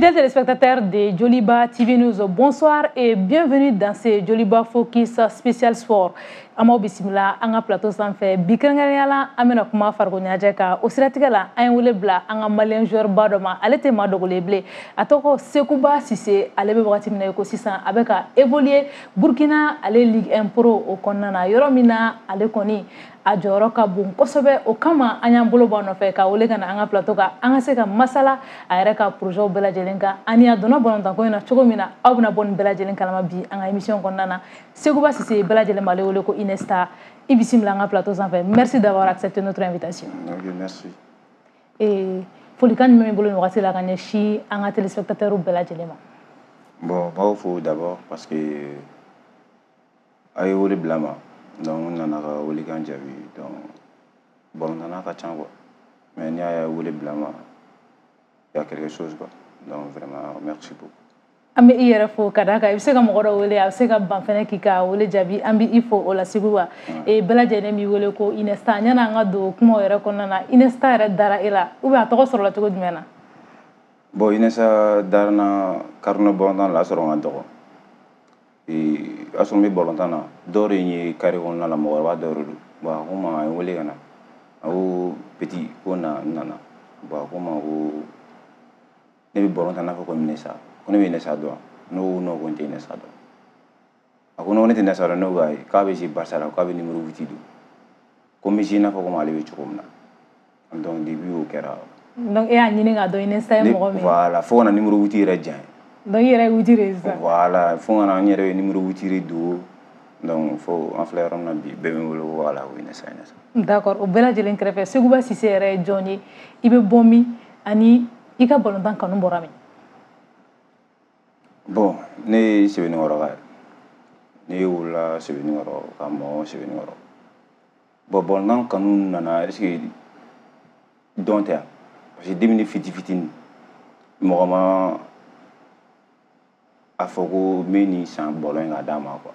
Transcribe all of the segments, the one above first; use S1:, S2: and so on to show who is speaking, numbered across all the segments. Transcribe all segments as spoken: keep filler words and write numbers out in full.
S1: Fidèles téléspectateurs de Joliba T V News, bonsoir et bienvenue dans ce Joliba Focus spécial sport. An b'aw bisimila an ka plateau sanfɛ bi. Kɛrɛnkɛrɛnnenya la, an bɛna kuma farikolo ɲɛnajɛ kan. O siratigɛ la, an ye wele bila an ka malien joueur ba dɔ ma. Ale tɛ maa dogolen bilen, a tɔgɔ Sekuba Sise. Ale bɛ wagati min na i ko sisan, a bɛ ka évoluer Burkina, ale Ligue un Pro o kɔnɔna na, yɔrɔ min na ale kɔni a jɔyɔrɔ ka bon kosɛbɛ. O kama an y'an bolo bɔ a nɔfɛ ka wele ka na an ka plateau kan, an ka se ka masala a yɛrɛ ka projet bɛɛ lajɛlen kan ani a donna balontanko in na cogo min na. Aw bɛna bɔ nin bɛɛ lajɛlen kalama bi an ka émission kɔnɔna na. Sekuba Sise, bɛɛ lajɛlen b'ale wele ko Iniesta. I bisimila an ka plateau sanfɛ. Merci d'avoir accepté notre invitation.
S2: Ok, merci.
S1: Et folikan jumɛn b'i bolo nin wagati la ka ɲɛsin an ka téléspectateurs bɛɛ lajɛlen ma?
S2: Bon, n b'aw fo d'abord parce que a ye wele bila n ma. Donc n nana ka welekan jaabi. Donc balontanna ka ca quoi. Mais n'i y'a ye wele bila n ma, il y a quelque chose quoi. Donc vraiment, merci beaucoup.
S1: An bɛ i yɛrɛ fo ka d'a kan i bɛ se ka mɔgɔ dɔ wele, a bɛ se ka ban fɛnɛ k'i ka wele jaabi. An bɛ i fo o la. Segu wa bɛɛ lajɛlen b'i wele ko Iniesta. Yanni an ka don kumaw yɛrɛ kɔnɔna na, Iniesta yɛrɛ dara e la ou bien a tɔgɔ sɔrɔla cogo jumɛn na?
S2: Bon, Iniesta dara n na carré balontan la, a sɔrɔ n ka dɔgɔ. Ee, o y'a sɔrɔ n bɛ balontan na. Dɔw de ye carré kɔnɔna la, mɔgɔkɔrɔba dɔw de don. Bon, a ko n ma, a ye n wele ka na. A ko petit, ko na. N nana. Bon, a ko n ma ko ne bɛ balontan n'a fɔ ko Iniesta. Ko ne bɛ Iniesta dɔn wa? Ne ko non, ko n tɛ Iniesta dɔn. A ko non, ne tɛ Iniesta dɔn. Ne ko ayi, k'a bɛ jouer Barça la, k'a bɛ numéro huit don. Ko n bɛ jouer i n'a fɔ komi ale bɛ cogo min na. Donc depuis o kɛra.
S1: Donc e y'a ɲini k'a dɔn Iniesta ye mɔgɔ min ye.
S2: Voilà, fo ka na numéro huit yɛrɛ diya n ye.
S1: Donc i yɛrɛ ye huit de ye sisan.
S2: Voilà, fo ka na n yɛrɛ ye numéro huit de don. Donc fo an filɛ yɔrɔ min na bi, bɛɛ bɛ n wele ko voilà, ko Iniesta, Iniesta.
S1: D'accord. O bɛɛ lajɛlen kɛrɛfɛ, Sekuba Sise yɛrɛ ye jɔn ye? I bɛ bɔ min ani i ka balontan kanu bɔra min?
S2: Bon, ne ye Sebenikɔrɔ ka ye. Ne wolola Sebenikɔrɔ ka mɔ Sebenikɔrɔ. Bon, balontan kanu nana, est ce que dɔn tɛ yan? Parce que depuis ne fiti fitinin, mɔgɔ ma a fɔ ko n bɛ nin san ballon in ka d'a ma quoi.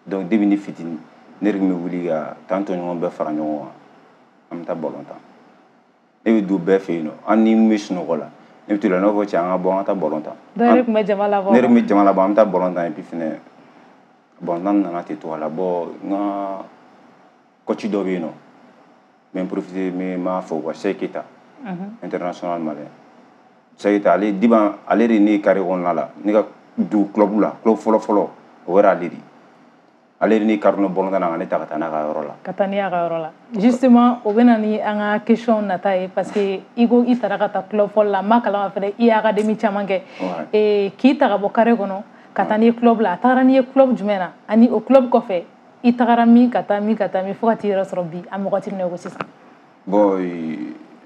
S2: Donc depuis ne fitinin, ne de tun bɛ wuli ka taa n tɔɲɔgɔn bɛɛ fara ɲɔgɔn kan, an bɛ taa ballon tan. Ne bɛ don bɛɛ fɛ yen nɔ, hali ni n bɛ sunɔgɔ la, ne bɛ to la, ne b'a fɔ cɛ, an ka bɔ, an ka taa ballon tan.
S1: Donc e de tun bɛ jama labɔ?
S2: Ne de tun bɛ jama labɔ, an bɛ taa ballon tan. Et puis fɛnɛ, balontan nana ten to a la. Bon, n ka coach dɔ bɛ yen nɔ, n bɛ n profiter, n bɛ n b'a fɔ quoi, Cheikh Keita, international malien. Cheikh Keita, ale diban, ale de ne ye carré kɔnɔna la, ne ka don club la, club fɔlɔ fɔlɔ, o kɛra ale de ye. Ale de ne carré kɔnɔ balontan na ka ne ta ka taa n'a ka yɔrɔ la.
S1: Ka taa n'i y'a ka yɔrɔ la. Justement, o bɛ na ni an ka question nata ye, parce que i ko i taara ka taa club fɔlɔ la, n b'a kalama fɛnɛ i ye académie caman kɛ. Ee, k'i ta ka bɔ carré kɔnɔ ka taa n'i ye club la, a tagara n'i ye club jumɛn na? Ani o club kɔfɛ, i tagara min, ka taa min, ka taa min, fo ka t'i yɛrɛ sɔrɔ bi an bɛ wagati min na i ko sisan?
S2: Bon,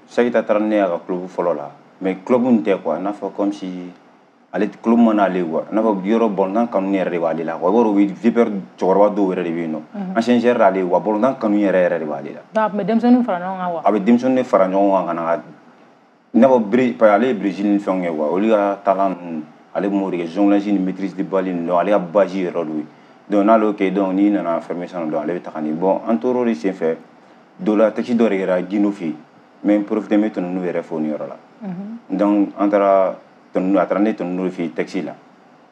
S2: Cheikh Keita taara ne y'a ka club fɔlɔ la, mais club in tɛ quoi, i n'a fɔ comme si ale club mana ale quoi, i n'a fɔ yɔrɔ balontan kanu yɛrɛ de b'ale la quoi. I b'a dɔn, o bɛ Vipers cɛkɔrɔba dɔw yɛrɛ de bɛ yen nɔ, ancien joueur d'ale wa, balontan kanu yɛrɛ yɛrɛ de b'ale la.
S1: Donc a tun bɛ denmisɛnninw fara ɲɔgɔn kan wa?
S2: A bɛ denmisɛnninw de fara ɲɔgɔn kan ka na ka i n'a fɔ Bré, parce que ale ye Brésil ni fɛnw kɛ quoi, olu ka talent ninnu, ale b'o de kɛ, jonglage ni maîtrise de balle ninnu. Donc ale ka base yɛrɛ de ye. Donc n'ale y'o kɛ, donc n'i nana formation na, donc ale bɛ taga ni. Bon, an tor'o de senfɛ dɔ la, taxi dɔ de kɛra Guindo fɛ yen. N bɛ n profiter, n bɛ Tonton yɛrɛ fo nin yɔrɔ la. Donc an taara Tonton, a taara ne Tonton fɛ yen taxi la.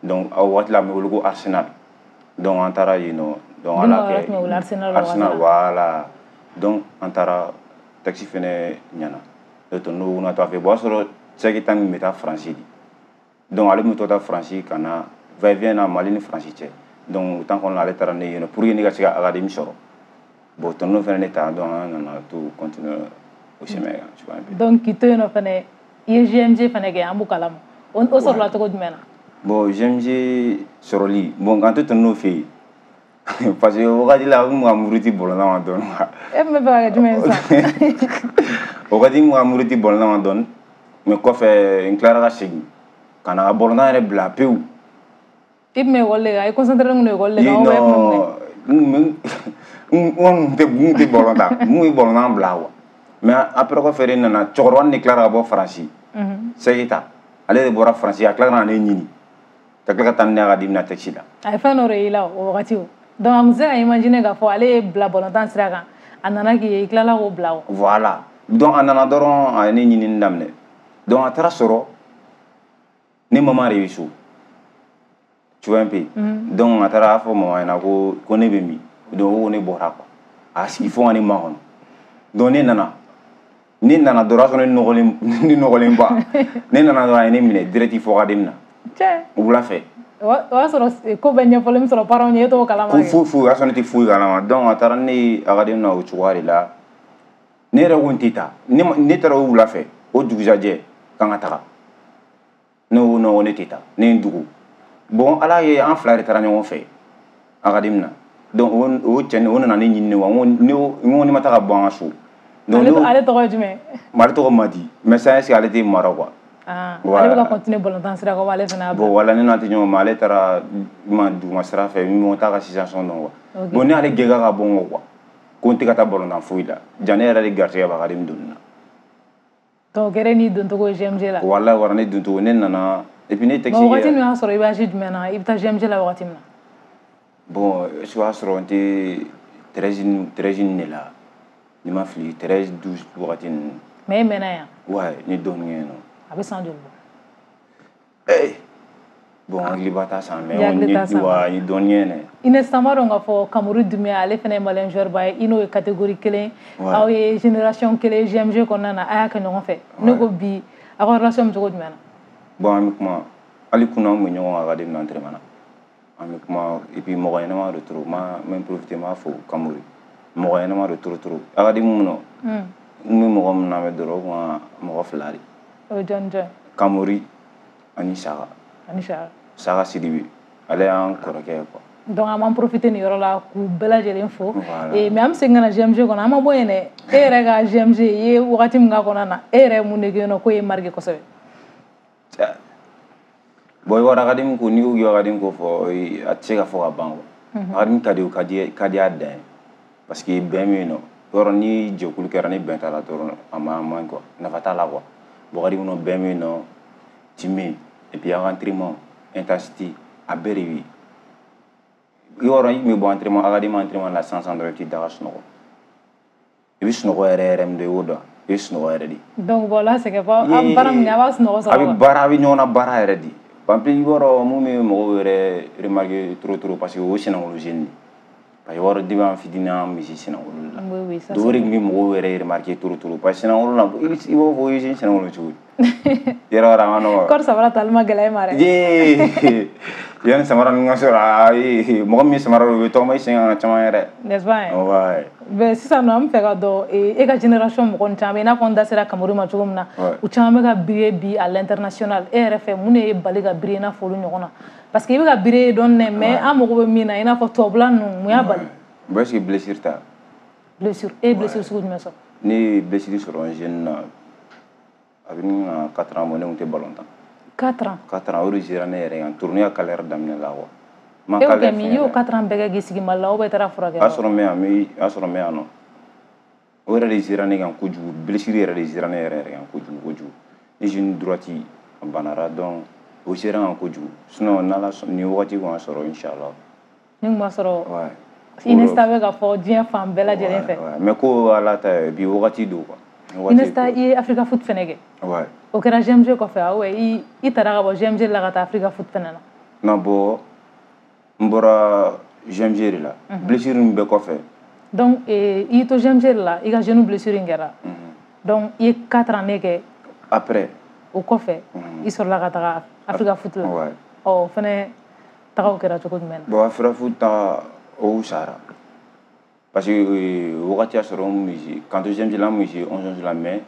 S2: Donc a waati la, a bɛ wele ko Arsenal. Donc an taara yen nɔ. Donc ala
S1: kɛ
S2: Arsenal, Arsenal, voilà. Donc an taara taxi fɛnɛ ɲɛna. Donc Tonton na to a fɛ. Bon, o y'a sɔrɔ Cheikh Keita min bɛ taa Faransi de. Donc ale tun bɛ to taa Faransi ka na va et vient na Mali ni Faransi cɛ. Donc o temps kɔnɔna la, ale taara ne yen nɔ pour que ne ka se ka académie sɔrɔ. Bon, Tonton fɛnɛ ne ta, donc an nana to continuer o chemin kan, tu vois un peu.
S1: Donc k'i to yen nɔ fɛnɛ, i ye G M G fɛnɛ kɛ, an b'o kalama. O sɔrɔla cogo jumɛn na?
S2: Bon, G M G sɔrɔli, bon, k'an to Tonton fɛ yen, parce que o wagati la, n kun ka muruti balontan ma dɔɔni quoi.
S1: E tun bɛ fɛ ka kɛ jumɛn ye sisan?
S2: O wagati n kun ka muruti balontan ma dɔɔni, mais kɔfɛ n tilara ka segin ka na ka balontan yɛrɛ bila pewu.
S1: I tun bɛ ekɔli de kan, i concentré kun don ekɔli de kan ou bien e tun bɛ mun kɛ?
S2: N kun tɛ n kun tɛ balontan, n kun ye balontan bila quoi. Mais après, kɔfɛ de nana cɛkɔrɔba nin de tilara ka bɔ Faransi. Cheikh Keita, ale de bɔra Faransi, a tilala ka na ne ɲini ka tila ka taa ni ne ka na taxi la.
S1: A ye fɛn dɔ de y'i la o wagati o. Donc a kun tɛ se ka imaginer k'a fɔ ale ye bila balontan sira kan, a nana k'i ye, i tilala k'o bila o.
S2: Voilà. Donc a nana dɔrɔn, a ye ne ɲinini daminɛ. Donc a taara sɔrɔ Ne maman de bɛ so. Tu vois un peu. Mm. Donc a taara fɔ mama ɲɛna ko ko ne bɛ min. Donc o ko ne bɔra quoi. A sigi fo ka ne makɔnɔ. Donc ne nana. Ne nana dɔrɔn, o y'a sɔrɔ ne nɔgɔlen, ne nɔgɔlen ba. Ne nana dɔrɔn, a ye ne minɛ direct fo académie na.
S1: Cɛ.
S2: Wula fɛ.
S1: O y'a sɔrɔ ko bɛɛ ɲɛfɔlen bɛ sɔrɔ parents ye, e t'o kalama.
S2: Ko foyi foyi, o y'a sɔrɔ ne tɛ foyi kalama. Donc a taara ne ye académie na o cogoya de la. Ne yɛrɛ ko n tɛ taa. Ne ne taara o wula fɛ, o dugusajɛ k'an ka taga. Ne ko non, ne tɛ taa. Ne ye n dogo. Bon, Ala ye an fila de taara ɲɔgɔn fɛ académie na. Donc o o cɛ o nana ne ɲini ne wa n ko ne n ko ne ma taa ka bɔ an ka so.
S1: Donc ale tɔgɔ ye jumɛn?
S2: Ale tɔgɔ Madi. Mais sisan est ce que ale tɛ mara quoi.
S1: Ah, ale bɛ ka continuer balontan sira kan, ale fana y'a
S2: bila. Bon voilà, ne n'a tɛ ɲɔgɔn ma, ale taara ma duguma sira fɛ, n t'a ka situation dɔn quoi. Bon, ne y'ale gɛn ka bɔ n kɔ quoi. Ko n tɛ ka taa balontan foyi la. Ja ne yɛrɛ de garisɛgɛ b'a académie donni na.
S1: Donc o kɛra n'i doncogo ye G M G la.
S2: Walahi, wara ne doncogo, ne nana et puis ne texte.
S1: Bon, wagati min y'a sɔrɔ i bɛ âge jumɛn na, i bɛ taa G M G la wagati min na?
S2: Bon, est ce que o y'a sɔrɔ n tɛ treize treize de la. Ni ma fili, treize douze wagati ninnu.
S1: Mais e mɛnna yan?
S2: Ouais, n ye dɔɔnin kɛ yen nɔ.
S1: A bɛ san joli bɔ?
S2: Eh, bon, hakiliba t'a san, mais n ye wa n ye dɔɔnin kɛ yen dɛ.
S1: Ines, an b'a dɔn k'a fɔ Kamori Dunbiya, ale fana ye malien joueur ba ye, i n'o ye catégorie kelen, aw ye génération kelen G M G kɔnɔna na, a y'a kɛ ɲɔgɔn fɛ. Ne ko bi, aw ka relation bɛ cogo jumɛn na?
S2: Bon, an bɛ kuma, hali kunun an tun bɛ ɲɔgɔn kan académie na entraînement na. An bɛ kuma, et puis mɔgɔ ɲɛnama de trop, n ma n profiter n b'a fo Kamori. Mɔgɔ ɲɛnama de trop trop. Académie mun nɔ? N bɛ mɔgɔ min lamɛn dɔrɔn, o kun ka mɔgɔ fila de.
S1: O ye jɔn jɔn?
S2: Kamori ani Saka.
S1: Ani Saka.
S2: Saka Sidibe, ale y'an kɔrɔkɛ ye quoi.
S1: Donc an b'an profiter nin yɔrɔ la k'u bɛɛ lajɛlen fo. Mais an bɛ segin ka na G M G kɔnɔ, an ma bɔ yen dɛ. E yɛrɛ ka G M G, i ye wagati min k'a kɔnɔna na, e yɛrɛ ye mun de kɛ yen nɔ k'o ye marqué kosɛbɛ?
S2: Bon, i b'a dɔn académie ko, n'i ko k'i bɛ académie ko fɔ, a tɛ se ka fɔ ka ban quoi. Académie ka di, o ka di, ka di a dan ye. Parce que bɛn bɛ yen nɔ. Yɔrɔ ni jɛkulu kɛra ni bɛn t'a la dɔrɔn, a ma a man quoi. Nafa t'a la quoi. Bon, académie kɔnɔ bɛn bɛ yen nɔ, team bɛ yen, et puis an ka entraînement, intensité, a bɛɛ de bɛ yen. I b'a dɔn i tun bɛ bɔ entraînement, académie entraînement la sisan sisan dɔrɔn, i bɛ t'i da ka sunɔgɔ. I bɛ sunɔgɔ yɛrɛ yɛrɛ min dɔn, i b'o dɔn. I bɛ sunɔgɔ yɛrɛ de.
S1: Donc bon, là c'est que pas an baara min kɛ, a b'a sunɔgɔ sɔrɔ.
S2: A bɛ baara, a bɛ ɲɔgɔn na baara yɛrɛ de. En plus, i b'a dɔn mun bɛ mɔgɔw yɛrɛ remarquer trop trop, parce que o ye senangolo jeune de. Parce que i b'a dɔn depuis an fitinin an misi senangolo la.
S1: Oui, oui, ça
S2: c'est. O de tun bɛ mɔgɔw yɛrɛ remarquer trop trop, parce que senangolo la, i b'a fɔ i bɛ senangolo cogo di? Yɔrɔ wɛrɛ a ma nɔgɔn.
S1: Kɔri samara tali ma gɛlɛya e ma dɛ.
S2: Yee, yanni samara ninnu ka sɔrɔ, ayi, mɔgɔ min ye samara don, o bɛ tɔgɔma i sen kan caman yɛrɛ.
S1: N'est-ce pas?
S2: Ouais.
S1: Mais sisan nɔ, an bɛ fɛ ka dɔn e ka génération mɔgɔ ninnu caman bɛ yen, i n'a fɔ n da sera Kamori ma cogo min na, u caman bɛ ka briller bi à l'international. E yɛrɛ fɛ, mun de ye bali ka briller i n'a fɔ olu ɲɔgɔn na? Parce que i bɛ ka briller dɔɔnin dɛ, mais an mago bɛ min na, i n'a fɔ tubabula ninnu, mun y'a bali?
S2: Bon, est-ce que blessure ta?
S1: Blessure, e ye blessure sugu jumɛn sɔrɔ?
S2: Ne ye blessure sɔrɔ n jeune na, a bɛ ɲini ka quatre ans bɔ, ne tun tɛ ballon tan.
S1: quatre ans?
S2: quatre ans, o de sera ne yɛrɛ kan, tournée ka carrière daminɛ la quoi.
S1: E y'o kɛ min? I y'o quatre ans bɛɛ kɛ k'i sigi Mali la, ou bien i taara furakɛ?
S2: O y'a sɔrɔ n bɛ yan, o y'a sɔrɔ n bɛ yan nɔ. O yɛrɛ de sera ne kan kojugu, blessure yɛrɛ de sera ne yɛrɛ yɛrɛ kan kojugu kojugu. Ne genou droite a banara, donc o sera n kan kojugu. Sinon n'Ala sɔn, nin wagati kun y'a sɔrɔ inchallah.
S1: Ni kun b'a sɔrɔ. Iniesta bɛ ka fɔ diɲɛ fan bɛɛ lajɛlen fɛ.
S2: Mais ko Ala ta ye, bi wagati don quoi.
S1: Iniesta, i ye Africa Foot fɛnɛ kɛ.
S2: Ouais.
S1: O kɛra G M G kɔfɛ, ah ouais, i i taara ka bɔ G M G la ka taa Africa Foot fɛnɛ na.
S2: Non, bon, n bɔra G M G de la. Blessure ninnu bɛɛ kɔfɛ.
S1: Donc i y'i to G M G de la, i ka genou blessure in kɛra. Donc i ye quatre ans kɛ.
S2: Après.
S1: O kɔfɛ, i sɔrɔla ka taga Africa Foot la.
S2: Ouais.
S1: Ɔ, o fɛnɛ tagaw kɛra cogo jumɛn na?
S2: Bon, Africa Foot ta, o sara. Parce que wagati y'a sɔrɔ n kun bɛ quand G M G la, n kun bɛ onze onze la, mais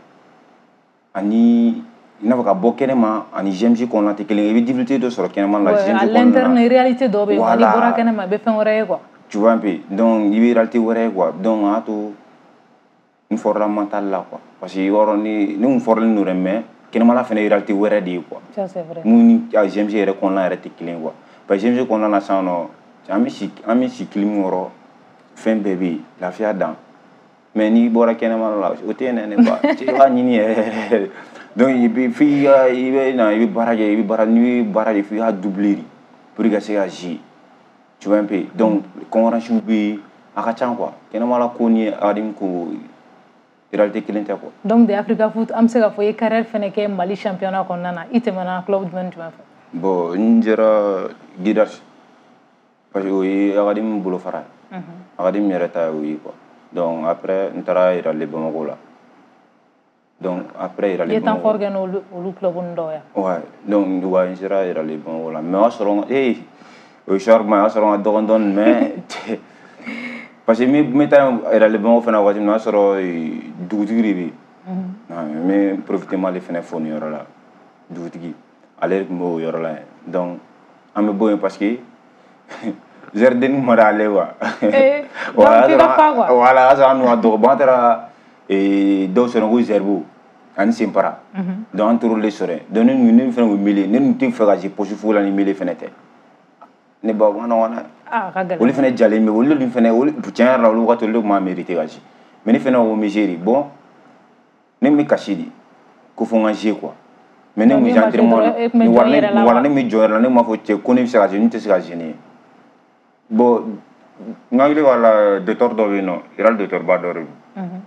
S2: ani i n'a fɔ ka bɔ kɛnɛma ani G M G kɔnɔna tɛ kelen ye, i bɛ difficulté dɔ sɔrɔ kɛnɛma la. G M G
S1: kɔnɔna na. À l'interne, réalité dɔw bɛ yen, n'i bɔra kɛnɛma i bɛ fɛn wɛrɛ ye quoi.
S2: Tu vois un peu, donc i bɛ réalité wɛrɛ ye quoi, donc a y'a to n fɔrɔla mental la quoi, parce que i b'a dɔn ni ne kun fɔrɔlen don dɛ, mais kɛnɛmala fɛnɛ ye réalité wɛrɛ de ye quoi.
S1: Ça c'est vrai.
S2: Mun ni G M G yɛrɛ kɔnɔna yɛrɛ tɛ kelen ye quoi, parce que G M G kɔnɔna na sisan nɔ, an bɛ si an bɛ si clim kɔrɔ, fɛn bɛɛ bɛ yen, lafiya dan. Mais n'i bɔra kɛnɛma la, o tɛ yen dɛ, ne ba, i b'a ɲini yɛrɛ. Donc i bɛ f'i ka i bɛ na, i bɛ baara kɛ, i bɛ baara, n'i bɛ baara kɛ, f'i ka doubler de pour que ka se ka jouer. Tu vois un peu. Donc concurrence bɛ yen, a ka ca quoi. Kɛnɛma la ko ni académie ko réalité kelen tɛ quoi.
S1: Donc de Africa Foot, an bɛ se k'a fɔ i ye carrière fɛnɛ kɛ Mali championnat kɔnɔna na, i tɛmɛna club jumɛn ni jumɛn fɛ?
S2: Bon, n jɛra Guidars parce que o ye académie bolofara ye. Académie yɛrɛ ta ye o ye quoi. Donc après n taara Real Bamako la. Donc après Real Bamako.
S1: I ye temps fort kɛ n'olu olu club ninnu dɔw ye.
S2: Ouais, donc ouais, n sera Real Bamako la, mais o y'a sɔrɔ ee o histoire ma, o y'a sɔrɔ n ka dɔgɔn dɔɔni, mais parce que n bɛ taa Real Bamako fana waati min na, o y'a sɔrɔ dugutigi de bɛ yen. N bɛ profiter m'ale fana fo nin yɔrɔ la, dugutigi ale de tun b'o yɔrɔ la yen. Donc an bɛ bɔ yen parce que jardin ma d'ale quoi.
S1: Eh, donc k'i ka fa quoi.
S2: Voilà, o y'a sɔrɔ an dun ka dɔgɔ. Bon, an taara dɔw sɔrɔ ko Zerbo ani Senpara. Donc an taar'olu de sɔrɔ yen. Donc ne ne fana kun mêlé, ne tun tɛ fɛ ka se poste foyi la ni mêlé fana tɛ. Ne ba o ma nɔgɔn dɛ.
S1: Ah, a ka gɛlɛn.
S2: Olu fana jalen bɛ, olu dun fana, olu tiɲɛ yɛrɛ la, olu wagati olu de tun b'a mérité ka se. Mais ne fana ko n bɛ jouer de. Bon, ne bɛ kasi de ko fo n ka jouer quoi. Mais ne kun bɛ entraînement na, voilà, ne bɛ jɔ yɛrɛ la, ne m'a fɔ cɛ ko ne bɛ se ka jouer, ne tɛ se ka jouer ne ye. Bon, n hakili b'a la, docteur dɔ bɛ yen nɔ, Real docteur ba dɔ de don.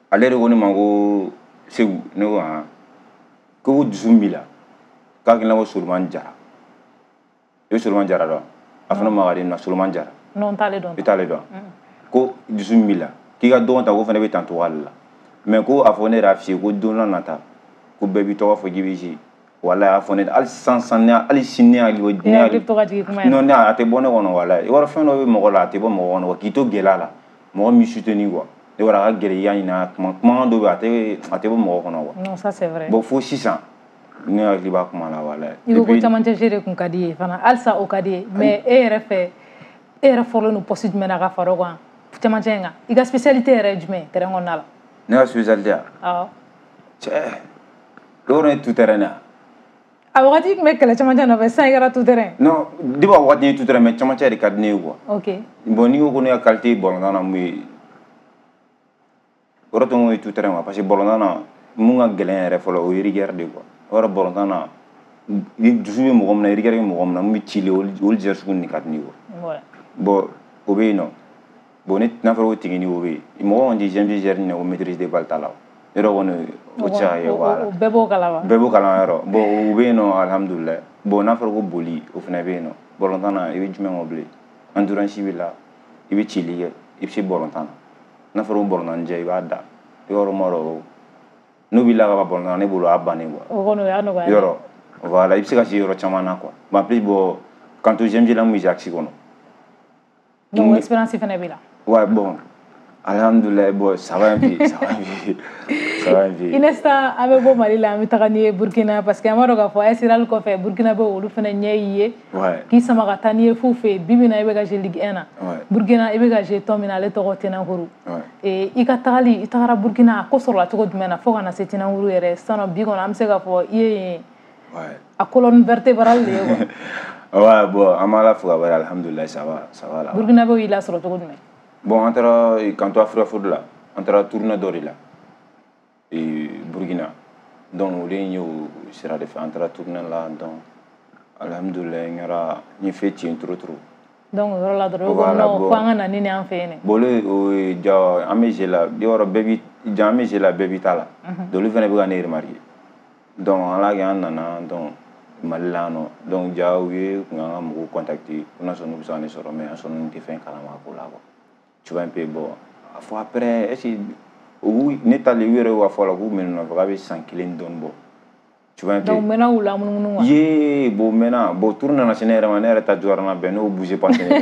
S2: Ale de ko ne ma ko Segu, ne ko han, ko dusu min b'i la, k'a hakilina ko Solomani Jara. I bɛ Solomani Jara dɔn? A fana ma ka di na Solomani Jara.
S1: Non, n t'ale dɔn.
S2: I t'ale dɔn? Ko dusu min b'i la, k'i ka dɔgɔn ta, ko fana bɛ tan cogo ale la. Mais ko a fɔ ne yɛrɛ y'a f'i ye ko don n'a nata, ko bɛɛ b'i tɔgɔ fɔ k'i bɛ jouer. Walayi, a fɔ ne hali sisan sisan, ne hali sini ne hakili
S1: ne hakili bɛ to ka jigin kuma in na.
S2: Non, ne a tɛ bɔ ne kɔnɔ walayi. I b'a dɔn fɛn dɔ bɛ mɔgɔ la, a tɛ bɔ mɔgɔ kɔnɔ quoi, k'i to gɛlɛya la, mɔgɔ min soutenir quoi. I b'a dɔn a ka gɛlɛn i y'a ɲini a kuma kumakan dɔ bɛ yen, a tɛ a tɛ bɔ mɔgɔ kɔnɔ quoi.
S1: Non, ça c'est vrai.
S2: Bon, fo sisan ne hakili b'a kuma la walayi.
S1: I ko ko camancɛ jeu de kun ka di ye fana, halisa o ka di ye, mais e yɛrɛ fɛ, e yɛrɛ fɔlen don poste jumɛn na ka fara o kan camancɛ in kan? I ka spécialité yɛrɛ ye jumɛn ye terrain kɔnɔna la?
S2: Ne ka spécialité ya?
S1: Awɔ.
S2: Cɛ, yɔrɔ ye tout terrain ya.
S1: A wagati tun bɛ kɛlɛ camancɛ nɔfɛ, sisan i kɛra tout terrain.
S2: Non, depuis a wagati n ye tout terrain, mais camancɛ de ka di ne ye quoi.
S1: Ok.
S2: Bon, n'i ko ko ne ka qualité balontan na mun ye, o yɔrɔ tun ye tout terrain quoi, parce que balontan na mun ka gɛlɛn yɛrɛ fɔlɔ, o ye rigueur de quoi. O yɔrɔ balontan na, dusu bɛ mɔgɔ min na, rigueur bɛ mɔgɔ min na, mun bɛ cili, olu olu jɛ sugu nin ka di ne ye quoi. Bon, o bɛ yen nɔ. Bon, ne n'a fɔra ko technique, o bɛ yen. Mɔgɔ kɔni tɛ G M C gère nin o maîtrise de balle t'a la. Yɔrɔ kɔni o tɛ se ka kɛ, voilà.
S1: Bɛɛ b'o kalama.
S2: Bɛɛ b'o kalama yɔrɔ. Bon, o bɛ yen nɔ, alhamdulilayi. Bon, n'a fɔra ko boli, o fana bɛ yen nɔ. Balontan na, i bɛ jumɛn kɔ bilen? Endurance b'i la, i bɛ cili kɛ, i bɛ se balontan na. N'a fɔra ko balontan jɛ, i b'a da. I b'a dɔn ma dɔn n'o b'i la ka ban balontan na, ne bolo o y'a bannen quoi.
S1: O kɔni o y'a nɔgɔya.
S2: Yɔrɔ, voilà, i bɛ se ka se yɔrɔ caman na quoi. Bon, en plus, bon, k'an to G M G la, n kun bɛ axe kɔnɔ.
S1: Donc expérience fana b'i la.
S2: Ouais, bon, alhamdoulilah, bon, ça va un peu, ça va un peu, ça va un peu.
S1: Iniesta, an bɛ bɔ Mali la, an bɛ taga n'i ye Burkina, parce que an b'a dɔn k'a fɔ A S Real kɔfɛ, Burkina bɛ olu fana ɲɛ y'i ye.
S2: Ouais.
S1: K'i sama ka taa n'i ye f'u fɛ yen, bi bi in na i bɛ ka jouer Ligue un na.
S2: Ouais.
S1: Burkina i bɛ ka jouer tɔn min na, ale tɔgɔ Tenankuru.
S2: Ouais.
S1: Et i ka tagali, i tagara Burkina, a ko sɔrɔla cogo jumɛn na fo ka na se Tenankuru yɛrɛ? Sisan nɔ bi kɔni an bɛ se k'a fɔ i ye yen
S2: Ouais.
S1: a colonne vertébrale de ye quoi.
S2: Ouais, bon, an b'Ala fo ka barika, alhamdoulilah, ça va, ça va là.
S1: Burkina bɛ y'i lasɔrɔ cogo jumɛn?
S2: Bon, an taara k'an to Africa Foot la, an taara tournée dɔ de la et Burkina. Donc olu ye o sira de fɛ, an taara tournée la, donc alhamdoulilah, n kɛra n ye fɛn tiɲɛ trop trop.
S1: Donc o yɔrɔ la dɔrɔn,
S2: Voilà,
S1: ko non,
S2: bon.
S1: fo an ka na ni nin an fɛ yen dɛ.
S2: Bon, olu o ye ja, an bɛ jeu la, i b'a dɔn bɛɛ bi ja, an bɛ jeu la, bɛɛ b'i ta la. Donc olu fana bɛ ka ne remarquer. Donc ala kɛ an nana donc Mali la yan nɔ. Donc ja, u ye kun k'an ka mɔgɔw contacter ko n'a sɔrɔ n'u bɛ se ka ne sɔrɔ, mais an sɔrɔ n'u tɛ fɛn kalama ko la quoi. Tu vois un peu, bon, fo après, est-ce que u ne talen, u yɛrɛ y'u ka fɔ la k'u bɛ ne nɔfɛ k'a bɛ san kelen dɔɔni bɔ. Tu vois un peu.
S1: Donc mɛnna u lamunumunu quoi.
S2: Ye, bon, maintenant, bon, tour nana se ne yɛrɛ ma, ne yɛrɛ ta juguyara na bɛn, n'o bouger pas ne la.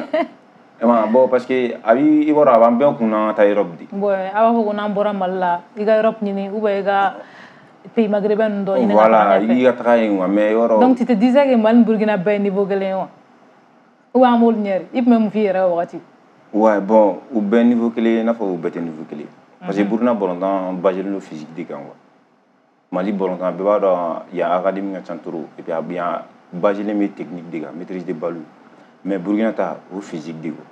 S2: E ma bon, parce que a b'i, i b'a dɔn a b'an bɛɛ kun na an ka taa Europe de.
S1: Bon, a b'a fɔ ko n'an bɔra Mali la, i ka Europe ɲini ou bien i ka pays maghrébin ninnu dɔ ɲini ka
S2: Voilà,
S1: taga ɲɛfɛ.
S2: I ka taga yen quoi, mais yɔrɔ.
S1: Donc tu te disais que Mali ni Burkina bɛɛ ye niveau kelen ye wa? Ou bien an b'olu ɲɛ de? I tun bɛ mun f'i yɛrɛ ye o wagati?
S2: Ouais, bon, u bɛɛ niveau kelen ye, i n'a fɔ u bɛɛ tɛ niveau kelen ye. Parce que Burkina balontan basé don physique de kan quoi. Mali balontan, bɛɛ b'a dɔn yan académie ka ca trop et puis a yan basé bɛ technique de kan, maîtrise de balle. Mais Burkina ta, o physique de quoi.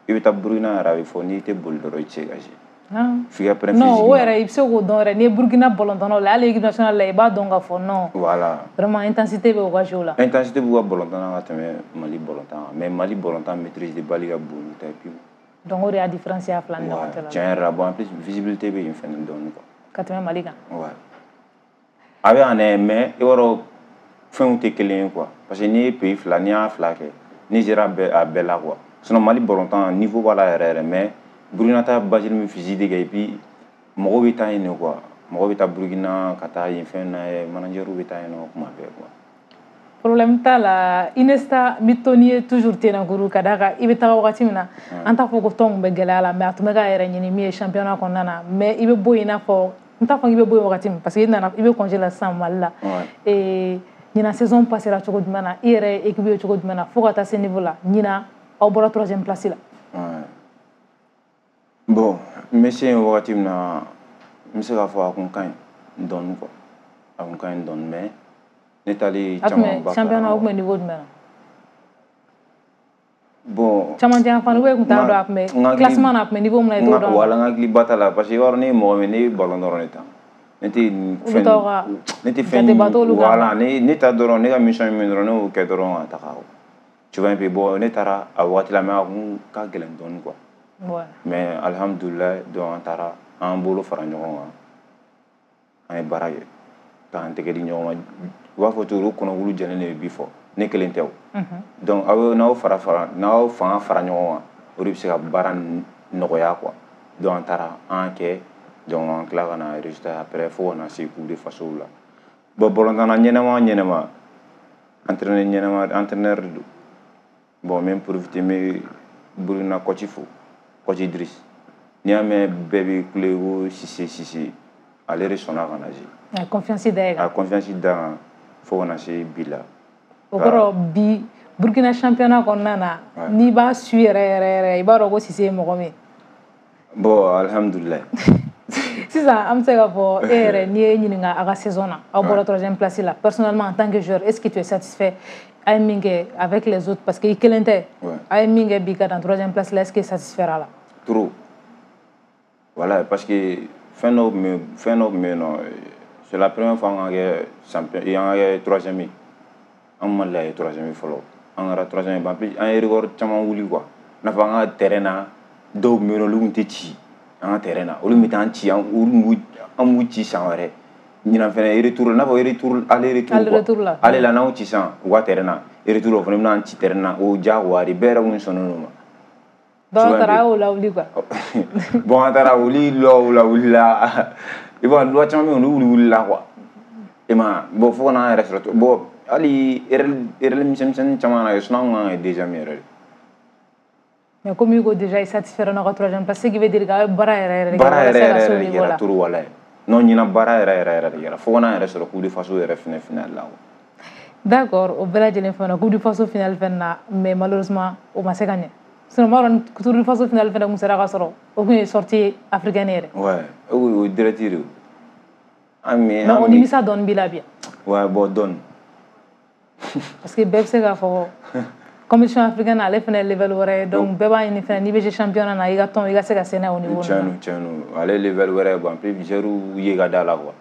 S2: I bɛ taa Burkina yɛrɛ, a bɛ fɔ n'i tɛ boli dɔrɔn, i tɛ se ka jouer. F'i ka prêt
S1: Non,
S2: physiquement.
S1: o yɛrɛ i bɛ se k'o dɔn yɛrɛ, n'i ye Burkina balontannaw la, hali équipe nationale la, i b'a dɔn k'a fɔ non.
S2: Voilà.
S1: Vraiment intensité bɛ u ka jeu la.
S2: Intensité b'u ka balontan na ka tɛmɛ Mali balontan kan, mais Mali balontan maîtrise de balle ka bon n'u ta ye pewu.
S1: Donc o de y'a différence y'a fila ni ɲɔgɔn cɛ la.
S2: Tiɲɛ yɛrɛ la, bon, en plus visibilité bɛ yen fɛnɛ dɔɔni quoi.
S1: Ka tɛmɛ Mali kan.
S2: Ouais. A bɛ yan dɛ, mais i b'a dɔn fɛnw tɛ kelen ye quoi. Parce que n'i ye pays fila, n'i y'a fila kɛ, n'i sera a bɛɛ a bɛɛ la quoi. Sinon Mali balontan niveau b'a la yɛrɛ yɛrɛ, mais Burukina ta base min physique de kɛ, et puis mɔgɔw bɛ taa yen de quoi. Mɔgɔw bɛ taa Burukina ka taa yen fɛn na ye, manager bɛ taa yen nɔ kuma bɛɛ quoi.
S1: Problème t'a la. Iniesta n bɛ to n'i ye toujours Tenakuru ka d'a kan i bɛ taga wagati min na, an t'a fɔ ko tɔn kun bɛ gɛlɛya la, mais a tun bɛ k'a yɛrɛ ɲini min ye championnat kɔnɔna na. Mais i bɛ bɔ yen, i n'a fɔ n t'a fɔ k'i bɛ bɔ yen wagati min, parce que i nana i bɛ congé la sisan Mali la. Ee, ɲinan saison passera cogo jumɛn na? I yɛrɛ ye équipe ye cogo jumɛn na fo ka taa se niveau la? Ɲinan aw bɔra troisième place la.
S2: Bon, n bɛ se yen wagati min na, n bɛ se k'a fɔ a kun ka ɲi dɔɔni quoi. A kun ka ɲi dɔɔni, mais ne taali caman ba.
S1: Championnat o kun bɛ niveau jumɛn na?
S2: Bon,
S1: camancɛ yan fan, ou kun t'a dɔn a kun bɛ classement na, a kun bɛ niveau min na, i t'o dɔn.
S2: Wala, n hakili ba t'a la, parce que i b'a dɔn ne ye mɔgɔ min, ne ye ballon dɔrɔn de ta. Ne tɛ fɛn, ne tɛ fɛn, voilà, ne ne ta dɔrɔn, ne ka mission ye min dɔrɔn, ne y'o kɛ dɔrɔn ka taga. Tu vois un peu. Bon, ne taara a waati la, mais a kun ka gɛlɛn dɔɔni quoi. Mais alhamdulilayi, donc an taara an bolo fara ɲɔgɔn kan, an ye baara kɛ k'an tɛgɛ di ɲɔgɔn ma. U b'a fɔ cogo di, kɔnɔkulu jɛlen de bɛ bi fɔ, ne kelen tɛ o. Donc aw n'aw fara fara n'aw fanga fara ɲɔgɔn kan, o de bɛ se ka baara nɔgɔya quoi. Donc an taara an kɛ, donc an tila ka na résultat après fo ka na se Coupe de Faso la. Bon, balontanna ɲɛnama ɲɛnama, entraîneur ɲɛnama, entraîneur de don. Bon, n bɛ profiter, n bɛ Burukina coach fo, coach Idriss. N'i y'a mɛn bɛɛ bɛ kule ko Sise Sise, ale de sɔnna ka na jouer.
S1: A ye confiance da e kan.
S2: A ye confiance da n kan fo ka na se bi la.
S1: O kɔrɔ bi Burukina championnat kɔnɔna na, n'i b'a su yɛrɛ yɛrɛ yɛrɛ, i b'a dɔn ko Sise ye mɔgɔ min ye.
S2: Bon, alhamdulilayi.
S1: Sisan an bɛ se k'a fɔ e yɛrɛ, n'i ye ɲininka a ka saison na, aw bɔra troisième place la, personnellement en tant que joueur, est-ce que tu es satisfait? A ye min kɛ avec les autres, parce que i kelen tɛ, a ye min kɛ bi ka dan troisième place la, est-ce que satisfait a la?
S2: Trop. Voilà, parce que fɛn dɔw tun bɛ fɛn dɔw tun bɛ yen nɔ, c'est la première fois an ka kɛ champion, an ka kɛ troisième ye. An ma deli ka kɛ troisième ye fɔlɔ. An kɛra troisième ye, en plus an ye record caman wuli quoi. I n'a fɔ an ka terrain na, dɔw tun bɛ yen nɔ, olu tun tɛ ci an ka terrain na, olu tun bɛ taa an ci, an olu an b'u ci san wɛrɛ. Ɲinan fɛnɛ retour, i n'a fɔ retour, aller retour
S1: quoi. Aller retour la.
S2: Aller la, n'anw ci sisan u ka terrain na, retour o fana bɛna an ci terrain na, o diyagoya de, bɛɛ yɛrɛ kun sɔnnen don o ma.
S1: Dɔw taara a y'o lawuli quoi.
S2: Bon, an taara olu lɔw lawulila, i b'a dɔn loi caman bɛ yen, olu wuli wulila quoi. I ma ye, bon, fo ka n'an yɛrɛ sɔrɔ, bon, hali erreur erreur misɛnnin caman na kɛ, sinon an kun kan ka kɛ deuxième yɛrɛ de.
S1: Mais comme i ko déjà i satisfait n'aw ka troisième place, ce qui veut dire k'aw ye baara yɛrɛ yɛrɛ de kɛ
S2: baara yɛrɛ
S1: walasa ka se o
S2: yɛrɛ de
S1: niveau
S2: kɛra
S1: la.
S2: Trop, walayi. Non, ɲinan baara yɛrɛ yɛrɛ yɛrɛ de kɛra fo ka n'an yɛrɛ sɔrɔ Coupe de Faso yɛrɛ fɛnɛ finale la quoi.
S1: D'accord, o bɛɛ lajɛlen fɛnɛ Coupe du Faso finale fɛnɛ na, mais malheureusement o ma se ka ɲɛ. Sinon n b'a dɔn ni Tour du Faso finale fɛnɛ kun sera ka sɔrɔ, o kun ye sortie africaine yɛrɛ.
S2: Ouais, o ye direct de o. An mi
S1: Mais o nimisa dɔɔni b'i la bi?
S2: Ouais, bon, dɔɔni.
S1: Parce que bɛɛ bɛ se k'a fɔ compétition africaine ale fɛnɛ ye level wɛrɛ ye, donc bɛɛ b'a ɲini fɛnɛ n'i bɛ jouer championnat na, i ka tɔn i ka se ka se n'a ye o niveau
S2: Tiɲɛ
S1: ninnu
S2: don, tiɲɛ don, ale level wɛrɛ ye. Bon, en plus joueur ye ka da la quoi.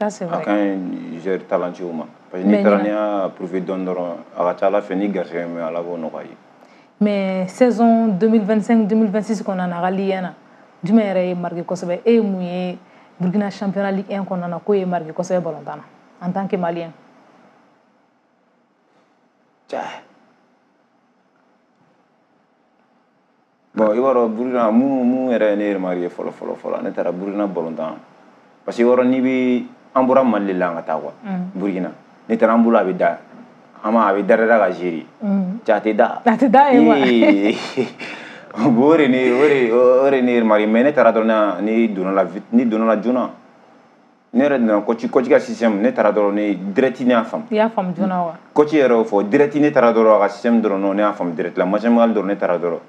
S1: Na. Ça c'est
S2: A
S1: vrai.
S2: ka ɲi joueur talentueux ma, parce que
S1: Mais
S2: n'i taara
S1: ɲinan
S2: n'i y'a prouver dɔɔni dɔrɔn, a ka ca Ala fɛ ni garisɛgɛ min Ala b'o nɔgɔya i ye.
S1: Mais saison deux mille vingt-cinq deux mille vingt-six kɔnɔna na, a ka Ligue un na, jumɛn yɛrɛ ye marqué kosɛbɛ? E ye mun ye Burkina championnat Ligue un kɔnɔna na k'o ye marqué kosɛbɛ balontan na en tant que Malien?
S2: Cɛ, bon, i b'a dɔn Burukina mun mun yɛrɛ ye ne remarqué fɔlɔ fɔlɔ fɔlɔ, ne taara Burukina balontan, parce que i b'a dɔn n'i bɛ, an bɔra Mali de la an ka taa quoi. Burukina ne taara, an bolo a bɛ da an ma, a bɛ da da ka gérer, cɛ, a tɛ da.
S1: A tɛ da yen wa?
S2: Ee, bon, o de ne o de o de ne remarqué. Mais ne taara dɔrɔn, ne donna la vite, ne donna la joona, ne yɛrɛ donna coach coach ka système, ne taara dɔrɔn, ne direct ne y'a faamu.
S1: I y'a faamu joona wa?
S2: Coach yɛrɛ y'o fɔ direct, ne taara dɔrɔn a ka système dɔrɔn, non, ne y'a faamu direct la, match amical dɔrɔn, ne taara dɔrɔn.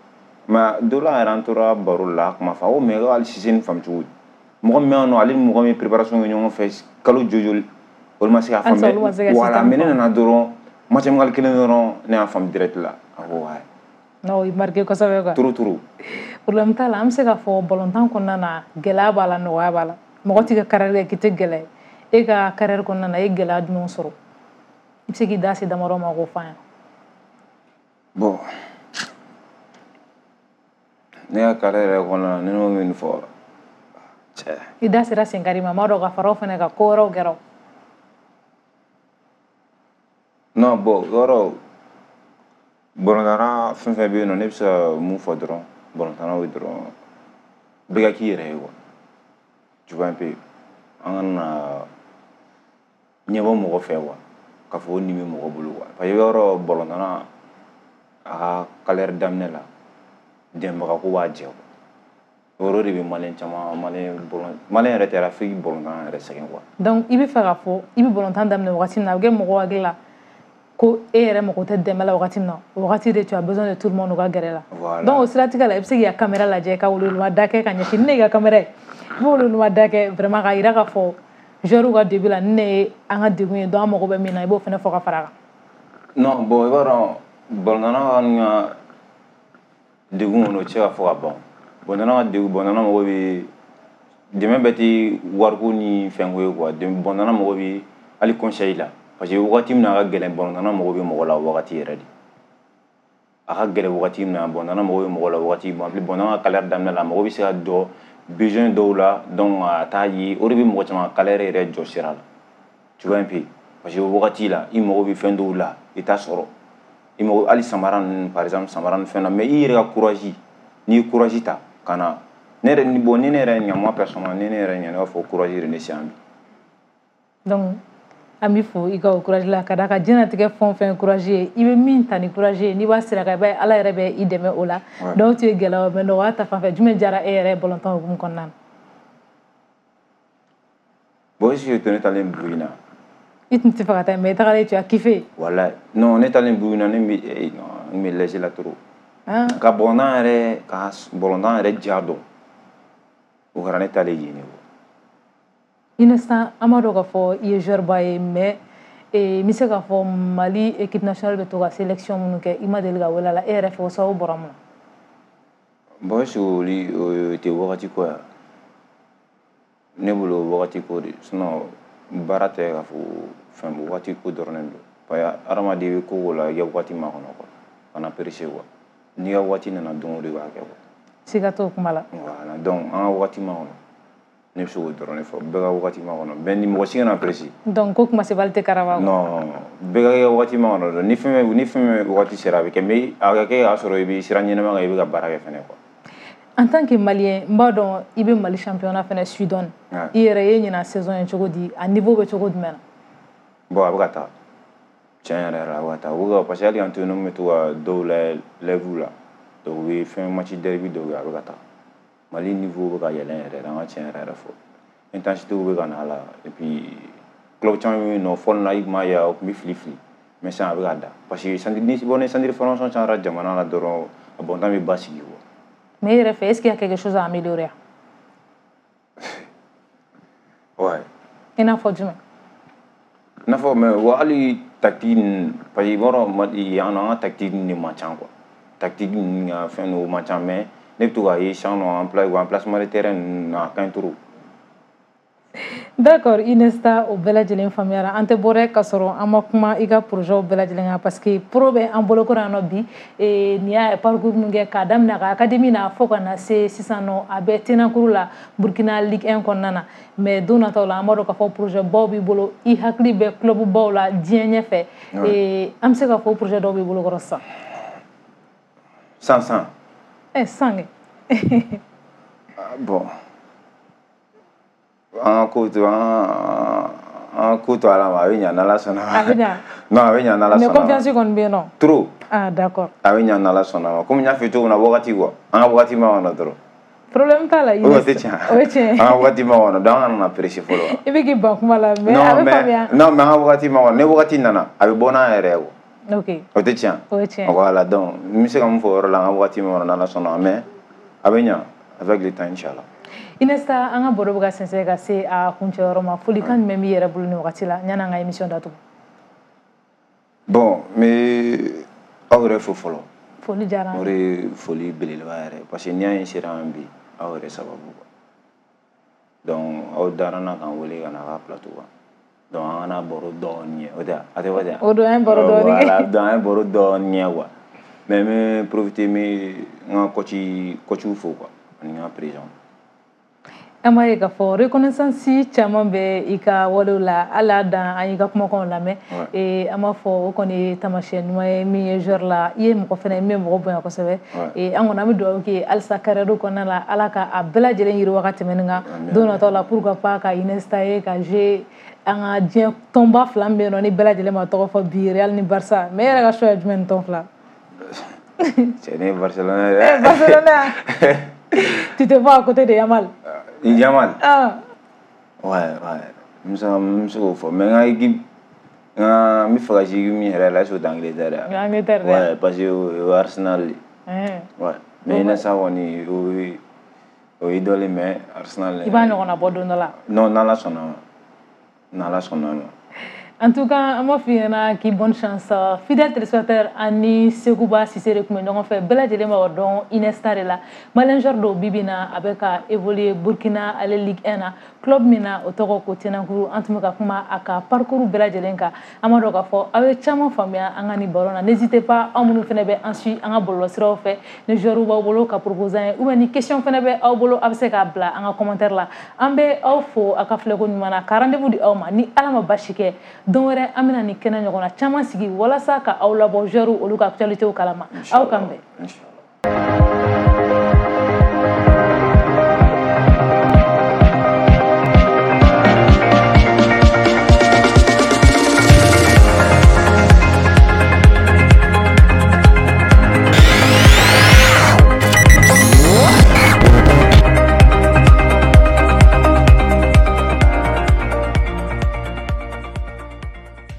S2: Mais dɔ la yɛrɛ, an tora baro la, a kuma fɔ, a ko mais hali Sise nin faamu cogo di, mɔgɔ min bɛ yan nɔ, ale ni mɔgɔ min ye préparation kɛ ɲɔgɔn fɛ kalo joli joli, olu ma se k'a
S1: Halisa olu ma se ka
S2: faamu. Voilà.
S1: système
S2: Mais ne
S1: faamu.
S2: nana dɔrɔn, match amical kelen dɔrɔn, ne y'a faamu direct la, a ko ouais.
S1: Non, o y'i marqué kosɛbɛ quoi.
S2: Trop, trop.
S1: Problème t'a la. An bɛ se k'a fɔ balontan kɔnɔna na, gɛlɛya b'a la, nɔgɔya b'a la. Mɔgɔ t'i ka carrière kɛ k'i tɛ gɛlɛya. E ka carrière kɔnɔna na, e ye gɛlɛya jumɛnw sɔrɔ? I bɛ se k'i da se damadɔ ma k'o fɔ an ye?
S2: Bon, ne ka carrière yɛrɛ kɔnɔna na, ne n'o min fɔ, cɛ.
S1: I da sera senkari ma, n b'a dɔn ka fara o fɛnɛ kan, ko wɛrɛw kɛra o.
S2: Non, bon, yɔrɔ balontanna fɛn fɛn bɛ yen nɔ, ne bɛ se ka mun fɔ dɔrɔn, balontannaw ye dɔrɔn, bɛɛ ka k'i yɛrɛ ye quoi. Tu vois un peu, an kana na ɲɛbɔ mɔgɔ fɛ quoi, k'a fɔ ko nin bɛ mɔgɔ bolo quoi. Parce que yɔrɔ balontanna a ka carrière daminɛ la, dɛmɛbaga ko b'a jɛ quoi. O yɔrɔ de bɛ malien caman, malien bɔlɔn, malien yɛrɛ tɛ, Afrique balontan yɛrɛ sɛgɛn quoi.
S1: Donc i bɛ fɛ k'a fɔ i bɛ balontan daminɛ wagati min na, a bɛ kɛ mɔgɔw hakili la ko e yɛrɛ mago tɛ dɛmɛ la wagati min na, o wagati de tu as besoin de tout le monde u ka gɛrɛ la.
S2: Voilà.
S1: Donc o siratigɛ la, i bɛ se k'i ka caméra lajɛ ka welewelema kɛ ka ɲɛsin ni ne y'i ka caméra ye, i bɛ welewelema da kɛ vraiment k'a yira k'a fɔ joueur ka début la ni ne ye an ka degun ye, donc an mago bɛ min na, i b'o fana fɔ ka fara a kan.
S2: Non, bon, i b'a dɔn balontanna ka degun kɔni, o tɛ se ka fɔ ka ban. Balontanna ka degun, balontanna mago bɛ dɛmɛ bɛɛ tɛ wariko ni fɛnko ye quoi. Balontanna mago bɛ hali conseil la, parce que wagati min na a ka gɛlɛn, balontanna mago bɛ mɔgɔ la o wagati yɛrɛ de. A ka gɛlɛn wagati min na, balontanna mago bɛ mɔgɔ la wagati. Bon, en plus balontanna ka carrière daminɛ la, a mago bɛ se ka jɔ besoin dɔw la, donc a t'a ye, o de bɛ mɔgɔ caman ka carrière yɛrɛ jɔ sira la. Tu vois un peu, parce que o wagati la, i mago bɛ fɛn dɔw la, i t'a sɔrɔ. I mago hali samara ninnu, par exemple samara ni fɛn na, mais i yɛrɛ ka courage, n'i ye courage ta ka na, ne yɛrɛ ni bon, ni ne yɛrɛ ɲa, moi personnellement, ni ne yɛrɛ ɲa, ne b'a fɔ courage de ne se yan bi.
S1: Donc an b'i fo i ka o courage la, ka d'a kan diɲɛlatigɛ fɛn o fɛn courage ye, i bɛ min ta ni courage ye, n'i b'a sira kan, i b'a ye Ala yɛrɛ bɛ i dɛmɛ o la. Donc tu ye gɛlɛya, mais nɔgɔya ta fanfɛ, jumɛn diyara e yɛrɛ ye balontan hukumu kɔnɔna na?
S2: Bon, est-ce que ne taalen Burukina?
S1: I tun tɛ fɛ ka taa, mais i tagalen, tu as kiffé.
S2: Walayi, non, ne taalen Burukina, ne bɛ eh, non, n bɛ lɛse la trop. Ka balontan yɛrɛ, ka balontan yɛrɛ ja dɔn, o kɛra ne taalen yen de quoi.
S1: Iniesta, an b'a dɔn k'a fɔ i ye joueur ba ye, mais n bɛ se k'a fɔ Mali équipe nationale bɛ to ka sélection minnu kɛ, i ma deli ka wele a la. E yɛrɛ fɛ, o sababu bɔra mun na?
S2: Bon, est-ce que olu o tɛ wagati ko ya? Ne bolo wagati ko de, sinon baara tɛ k'a fɔ fɛn, wagati ko dɔrɔn de don. Parce que hadamaden bɛ ko o ko la, i ka wagati makɔnɔ quoi, kana presser quoi. N'i ka wagati nana don o don, i b'a kɛ quoi.
S1: Siga t'o kuma la.
S2: Voilà, donc an ka wagati makɔnɔ, ne bɛ se k'o dɔrɔn de fɔ, bɛɛ ka wagati makɔnɔ, bɛɛ ni mɔgɔ si kana presser.
S1: Donc ko kuma sebali tɛ karaba.
S2: Non, bɛɛ ka kɛ wagati makɔnɔ dɔrɔn. Ni fɛn ni fɛn wagati sera, a bɛ kɛ, mais a ka kɛ k'a sɔrɔ i bɛ sira ɲɛnama kan, i bɛ ka baara kɛ fɛnɛ quoi.
S1: En tant que Malien, n b'a dɔn i bɛ Mali championnat fɛnɛ suit dɔɔni. I yɛrɛ ye ɲinan saison ye cogo di? A niveau bɛ cogo jumɛn na?
S2: Bon, a bɛ ka taa. Tiɲɛ yɛrɛ yɛrɛ la, a bɛ ka taa. U bɛ ka, parce que hali k'an to yen nɔ, n bɛ to ka dɔw lajɛ live la. Donc u bɛ fɛn match derby dɔw kɛ, a bɛ ka taa. Mali niveau bɛ ka yɛlɛn yɛrɛ, an ka tiɲɛ yɛrɛ yɛrɛ fɔ. Intensité bɛ ka na a la, et puis club caman bɛ yen nɔ, fɔlɔ la i tun b'a ye u tun bɛ fili fili, mais sisan a bɛ ka da. Parce que centre ni bɔ ni centre formation cayara jamana la dɔrɔn, a balontan bɛ basigi quoi.
S1: Mais e yɛrɛ fɛ, est-ce qu'il y a quelque chose à améliorer?
S2: Ouais.
S1: I n'a fɔ jumɛn?
S2: I n'a fɔ, mais wa hali tactique ninnu, parce que i b'a dɔn yan nɔ, an ka tactique ninnu de man ca quoi. Tactique ninnu ka fɛn dɔw man ca, mais ne bɛ to k'a ye sisan nɔ, en place en placement de terrain ninnu, a ka ɲi trop.
S1: D'accord, Iniesta, o bɛɛ lajɛlen faamuyara. An tɛ bɔ dɛ ka sɔrɔ an ma kuma i ka projet bɛɛ lajɛlen kan, parce que pro bɛ an bolokɔrɔ yan nɔ bi. Nin y'a parcours min kɛ k'a daminɛ a ka académie na fo ka na se sisan nɔ, a bɛ Tenankuru la Burkina Ligue un kɔnɔna na. Mais don nataw la, an b'a dɔn k'a fɔ projet baw b'i bolo, i hakili bɛ club baw la diɲɛ ɲɛfɛ. An bɛ se k'a fɔ projet dɔw b'i bolo kɔrɔ sisan?
S2: San san.
S1: Ɛ san kɛ.
S2: Bon, an ka ko to an an ka ko to Ala ma, a bɛ ɲa n'Ala sɔnna ma.
S1: A bɛ ɲa.
S2: Non, a bɛ ɲa n'Ala sɔnna ma.
S1: Mais confiance kɔni bɛ yen nɔ.
S2: Trop.
S1: Ah, d'accord.
S2: A bɛ ɲa n'Ala sɔnna ma. Komi n y'a f'i ye cogo min na, wagati quoi, an ka wagati ma kɔnɔ dɔrɔn.
S1: Problème t'a la.
S2: O tɛ tiɲɛ.
S1: O ye tiɲɛ.
S2: An ka wagati ma kɔnɔ, donc an kana na presser fɔlɔ.
S1: I bɛ k'i ban kuma la, mais a bɛ faamuya.
S2: Non, mais an ka wagati ma kɔnɔ, ni wagati nana, a bɛ bɔ n'an yɛrɛ ye quoi.
S1: Ok.
S2: O tɛ tiɲɛ.
S1: O ye tiɲɛ.
S2: Voilà, donc n bɛ se ka mun fɔ o yɔrɔ la, an ka wagati ma kɔnɔ n'Ala sɔnna ma, mais a bɛ ɲa avec le temps, inchallah.
S1: Iniesta, an ka baro bɛ ka sɛnsɛn ka se a kuncɛyɔrɔ ma. Folikan jumɛn b'i yɛrɛ bolo nin wagati la yanni an ka émission datugu?
S2: Bon, n bɛ aw yɛrɛ fo fɔlɔ.
S1: Foli diyara an ye.
S2: O de ye foli belebeleba yɛrɛ, parce que n'i y'a ye n sera yan bi, aw yɛrɛ sababu quoi. Donc aw dara n na k'an wele ka na a ka plateau kan. Donc an kana baro dɔɔni ye, o tɛ a tɛ fɔ ten.
S1: O don an ye baro dɔɔni kɛ.
S2: Voilà, donc an ye baro dɔɔni ye quoi. Mais n bɛ profiter, n bɛ n ka coach coachw fo quoi, ani n ka président.
S1: An b'a ye k'a fɔ reconnaissance caman bɛ i ka walew la, hali a dan an y'i ka kumakanw lamɛn. An b'a fɔ o kɔni ye taamasiyɛn ɲuman ye min ye joueur la, i ye mɔgɔ fɛnɛ min bɛ mɔgɔ bonya kosɛbɛ. An kɔni an bɛ dugawu kɛ halisa carrière kɔnɔna la, Ala ka a bɛɛ lajɛlen yiriwa ka tɛmɛ nin kan don nataw la. Pourquoi pas ka Iniesta ye ka jouer an ka diɲɛ tɔnba fila min bɛ yen nɔ, ni bɛɛ lajɛlen ma tɔgɔ fɔ bi, Real ni Barça. Mais e yɛrɛ ka choix ye jumɛn ni tɔn fila?
S2: Cɛ, ne ye Barcelone ye.
S1: Barcelone, tu te vois à côté de Yamal?
S2: Yamal.
S1: Ah.
S2: Ouais, ouais. N bɛ se n bɛ se k'o fɔ, mais n ka équipe, n ka n bɛ fɛ ka jouer équipe min yɛrɛ la, est ce que o tɛ Angleterre ye?
S1: Angleterre.
S2: Ouais, parce que o ye Arsenal de. Ouais. Mais Iniesta kɔni, o ye o ye idole, mais Arsenal.
S1: I b'a ɲɔgɔnna bɔ don dɔ la.
S2: Non, n'Ala sɔnna ma. N'Ala sɔnna ma.
S1: En tout cas, an b'a f'i ɲɛna k'i bonne chance. Fidèle téléspectateur, ani Sekuba Sise de tun bɛ ɲɔgɔn fɛ. Bɛɛ lajɛlen b'a dɔn Iniesta de la. Malien joueur dɔw bi bi in na, a bɛ ka évoluer Burkina, ale Ligue un na, club min na o tɔgɔ ko Tenankuru. An tun bɛ ka kuma a ka parcours bɛɛ lajɛlen kan. An b'a dɔn k'a fɔ aw ye caman faamuya an ka nin baro na. N'hésitez pas, aw minnu fana bɛ an suit an ka bɔlɔlɔsiraw fɛ, ni joueur b'aw bolo ka proposer an ye, ou bien ni question fana bɛ aw bolo, aw bɛ se k'a bila an ka commentaire la. An bɛ aw fo aw ka filɛko ɲuman na, ka rendez-vous di aw ma. Ni Ala ma basi kɛ, don wɛrɛ an bɛna nin kɛnɛ ɲɔgɔnna caman sigi walasa ka aw labɔ joueur olu ka actualité kalama. Aw kan bɛn.